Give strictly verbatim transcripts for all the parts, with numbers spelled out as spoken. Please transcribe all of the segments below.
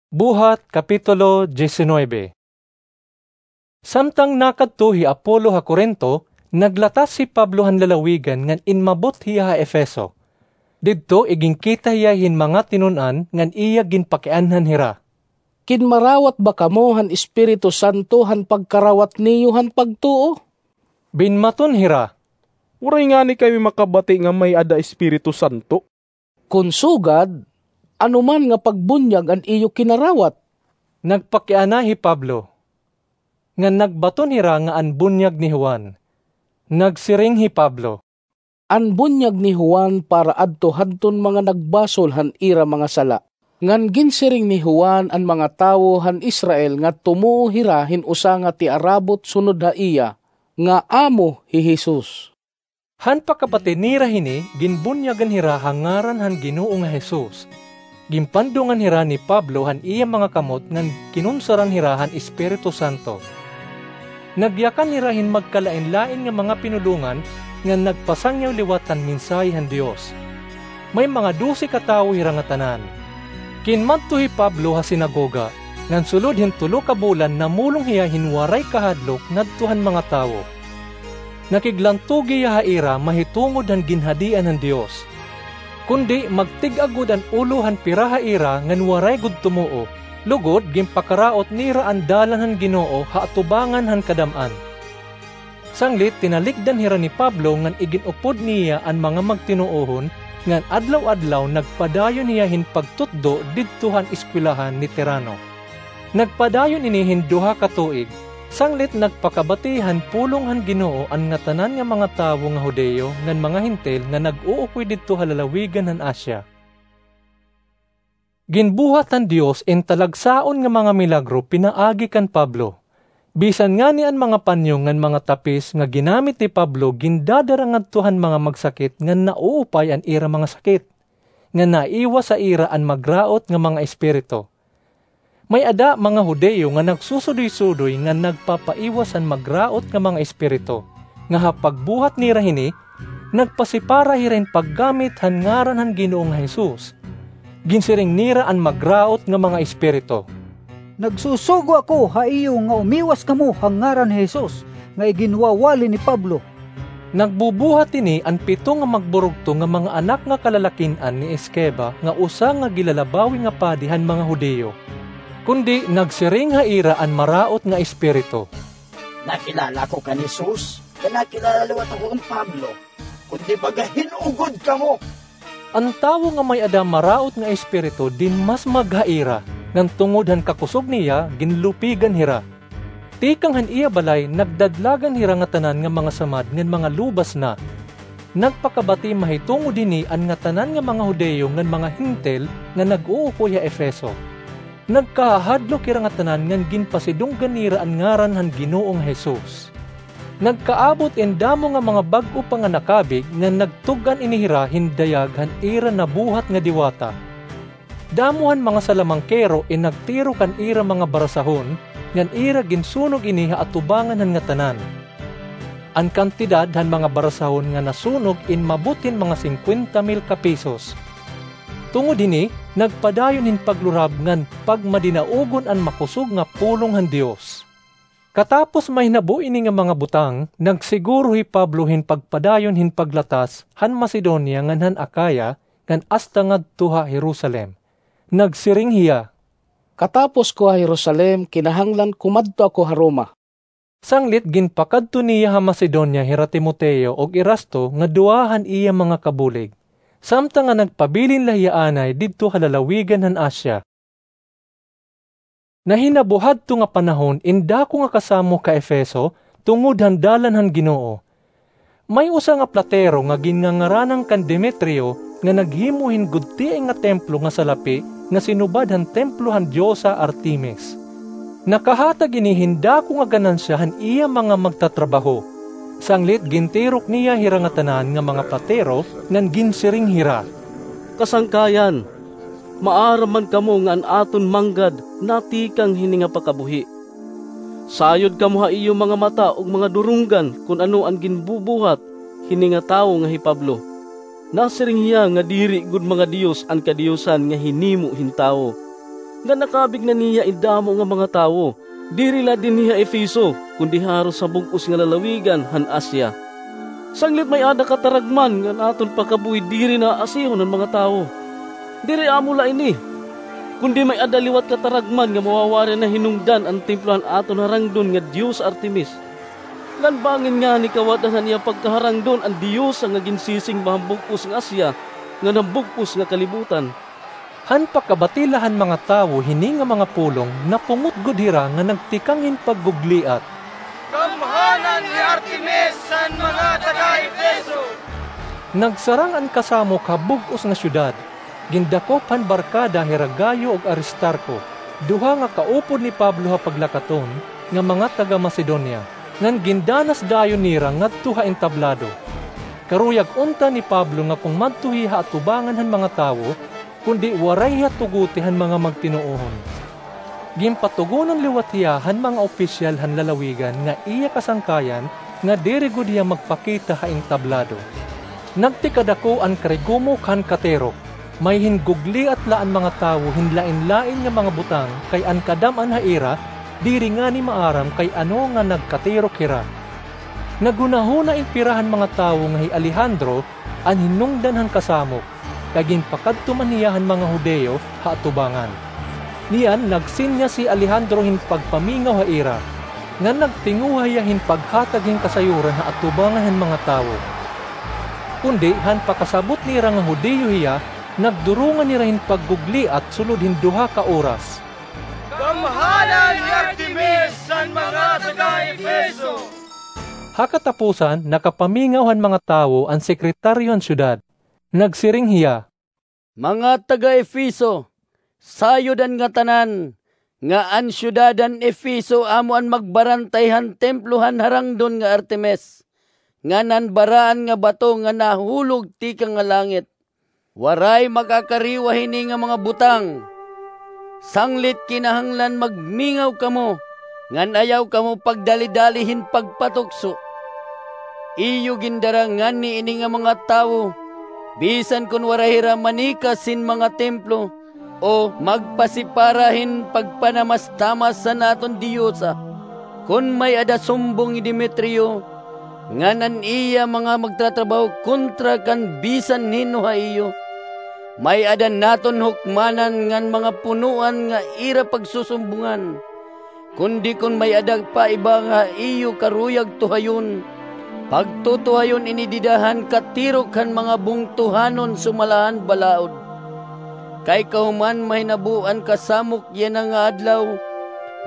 Buhat, Kapitulo diecinuebe. Samtang nakadto hi Apollo ha Corinto, naglatas hi Pablo han lalawigan ngan inmabot hiya ha Efeso. Didto iginkita hiya hin mga tinun-an ngan iya ginpakianhan hira. Ginmarawat ba kamo han Espiritu Santo han pagkarawat niyo han pagtuo? Binmaton hira, Waray ngani kami makabati nga may-ada Espiritu Santo. Kon sugad, ano man nga pagbunyag an iyo kinarawat? Nagpakiana hi Pablo, ngan nagbaton hira nga an bunyag ni Juan. Nagsiring hi Pablo, An bunyag ni Juan para adto hadton mga nagbasol han ira mga sala. Ngan ginsiring ni Juan an mga tawo han Israel nga tumuo hira hin usa nga tiarabot sunod ha iya, nga amo hi Jesus. Han pakabati nira hini, ginbunyagan hira ha ngaran han Ginoo nga Jesus. Ginpandungan hira ni Pablo han iya mga kamot ngan kinunsaran hira han Espiritu Santo. Nagyakan hira hin magkalain-lain nga mga pinulongan ngan nagpasangyaw liwat han mensahe han Dios. May mga dose ka tawo hira ngatanan. Kinmadto hi Pablo ha sinagoga, ngan sulod hin tulo ka bulan namulong hiya hin waray kahadlok ngadto han mga tawo. Nakiglantugi hiya ha ira mahitungod han ginhadian han Dios. Kundi magtig-a gud an ulo han pira ha ira ngan waray gud tumuo, lugod ginpakaraot nira an dalan han Ginoo ha atubangan han kadam-an. Sanglit tinalikdan hira ni Pablo ngan igin-upod niya an mga magtinuohon, ngan adlaw-adlaw nagpadayon hiya hin pagtutdo didto han eskwelahan ni Tirano. Nagpadayon ini hin duha ka tuig, sanglit nagpakabati han pulong han Ginoo an ngatanan nga mga tawo nga Judio ngan mga Hentil nga nag-uukoy didto ha lalawigan han Asia. Ginbuhat han Dios in talagsaon nga mga milagro pinaagi kan Pablo. Bisan ngani an mga panyo ngan mga tapis nga ginamit ni Pablo gindadara ngadto han mga magsakit ngan nauupay an ira mga sakit, ngan naiwas ha ira an magraot nga mga espiritu. May-ada mga Judio nga nagsusudoy-sudoy ngan nagpapaiwas han magraot nga mga espiritu, nga ha pagbuhat nira hini, nagpasipara hira hin paggamit han ngaran han Ginoo nga Jesus. Ginsiring nira an magraot nga mga espiritu, Nagsusugo ako ha iyo nga umiwas kamo ha ngaran ni Jesus nga iginwawali ni Pablo. Nagbubuhat ini an pito nga magburugto nga mga anak nga kalalakin-an ni Esceva nga usa nga gilalabawi nga padi han mga Judio. Kundi nagsiring ha ira an maraot nga espiritu, Nakilala ko kan Jesus, kay nakilala liwat ako kan Pablo. Kundi baga hin-o gud kamo? An tawo nga may-ada maraot nga espiritu dinmasmag ha ira, ngan tungod han kakusog niya ginlupigan hira. Tikang han iya balay nagdadlagan hira ngatanan nga mga samad ngan mga lubas na. Nagpakabati mahitungod hini an ngatanan nga mga Judio ngan mga Hentil nga nag-uukoy ha Efeso. Nagkahahadlok hira ngatanan ngan ginpasidunggan nira an ngaran han Ginoo nga Jesus. Nagkaabot in damo nga mga bag-o pa nga nakabig ngan nagtug-an ini hira hin dayag han ira nabuhat nga diwata. Damo han mga salamangkero in nagtiro kan ira mga barasahon, ngan ira ginsunog ini ha atubangan han ngatanan. An kantidad han mga barasahon nga nasunog inmabot hin mga singkwenta mil ka pesos. Tungod hini, nagpadayon hin paglurab ngan pagmadinaogon an makusog nga pulong han Dios. Katapos mahinabo ini nga mga butang, nagsiguro hi Pablo hin pagpadayon hin paglatas han Macedonia ngan han Acaya ngan asta ngadto ha Jerusalem. Nagsiring hiya, Katapos ko ha Jerusalem, kinahanglan kumadto ako ha Roma. Sanglit ginpakadto niya ha Macedonia hira Timoteo ug Erasto nga duha han iya mga kabulig, samtang nga nagpabilin la hiya anay didto ha lalawigan han Asia. Nahinabo hadto nga panahon in dako nga kasamok ha Efeso tungod han dalan han Ginoo. May usa nga platero nga ginngangaranan kan Demetrio nga naghimo hin gudtiay nga templo nga salapi nga sinubad han templo han diosa Artemis. Nakahatag ini hin dako nga ganansya han iya mga magtatrabaho. Sanglit gintirok niya hira ngatanan nga mga platero ngan ginsiring hira, Kasangkayan, maaram man kamo nga an aton manggad natikang hini nga pakabuhi. Sayod kamo ha iyo mga mata ug mga durunggan kon ano an ginbubuhat hini nga tawo nga hi Pablo. Nasiring hiya nga diri gud mga dios an kadiyosan nga hinimo hin tawo. nga nakabig na niya in damo nga mga tawo, diri la dinhi ha Efeso, kundi haros ha bug-os nga lalawigan han Asia. Sanglit may-ada kataragman ngan aton pakabuhi diri na asihon han mga tawo. Diri amo la ini, kundi may-ada liwat kataragman nga mawawari na hinungdan an templo han aton harangdon nga diyos Artemis. Ngan bangin ngani kawad-an han iya pagkaharangdon an diyosa nga ginsisimba han bug-os nga Asia ngan han bug-os nga kalibutan. Han pakabati la han mga tawo hini nga mga pulong, napungot gud hira nga nagtikang hin paggugliat, "Gamhanan hi Artemis han mga taga-Efeso!" Nagsarang an kasamok ha bug-os nga syudad. Gindakop han barkada hira Gayo ug Aristarco, duha nga kaupod ni Pablo ha paglakaton, nga mga taga-Macedonia, ngan gindanas dayon nira ngadto ha entablado. Karuyag unta ni Pablo nga kon madto hiya ha atubangan han mga tawo, kundi waray hiya tuguti han mga magtinuohon. Ginpatugonan liwat hiya han mga opisyal han lalawigan nga iya kasangkayan nga diri gud hiya magpakita ha entablado. Nagtikadako an karigumok han katirok. May hingugliat la an mga tawo hin lain-lain nga mga butang, kay an kadam-an ha ira diri ngani maaram kay ano nga nagkatirok hira. Naghunahuna in pira han mga tawo nga hi Alejandro an hinungdan han kasamok, kay ginpakadto man hiya han mga Judio ha atubangan. Niyan, nagsinyas hi Alejandro hin pagpamingaw ha ira, ngan nagtinguha hiya hin paghatag hin kasayuran ha atubangan han mga tawo. Kundi han pakasabot nira nga Judio hiya, nagdurongan hira hin paggugliat sulod hin duha ka oras. "Gamhanan hi Artemis han mga taga-Efeso!" Ha katapusan, nakapamingaw han mga tawo an sekretaryo han syudad. Nagsiring hiya, "Mga taga-Efeso, sayod an ngatanan nga an syudad han Efeso amo an magbarantay han templo han harangdon nga Artemis, ngan an baraan nga bato nga nahulog tikang ha langit. Waray makakariwa hini nga mga butang. Sanglit kinahanglan magmingaw kamo, ngan ayaw kamo pagdalidali hin pagpatukso. Iyo gindara ngani ini nga mga tawo, bisan kon waray hira manikas hin mga templo, o magpasipara hin pagpanamastamas han aton diyosa. Kon may-ada sumbong hi Demetrio, ngan an iya mga magtratrabaho kontra kan bisan hin-o ha iyo, may-ada naton hukmanan ngan mga punoan nga ira pagsusumbongan. Kundi kon may-ada pa iba nga ha iyo karuyag tuhayon, pagtutuhayon ini dida han katirok han mga bungtohanon sumala han balaod. Kay kahuman mahinabo an kasamok yana nga adlaw,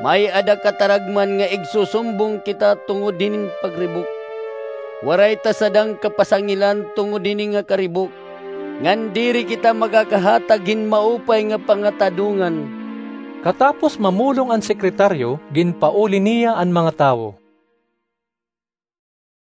may-ada kataragman nga igsusumbong kita tungod hinin pagribok. Waray ta sadang kapasangilan tungod hini nga karibok, ngan diri kita makakahatag hin maupay nga pangatadongan." Katapos mamulong an sekretaryo, ginpauli niya an mga tawo.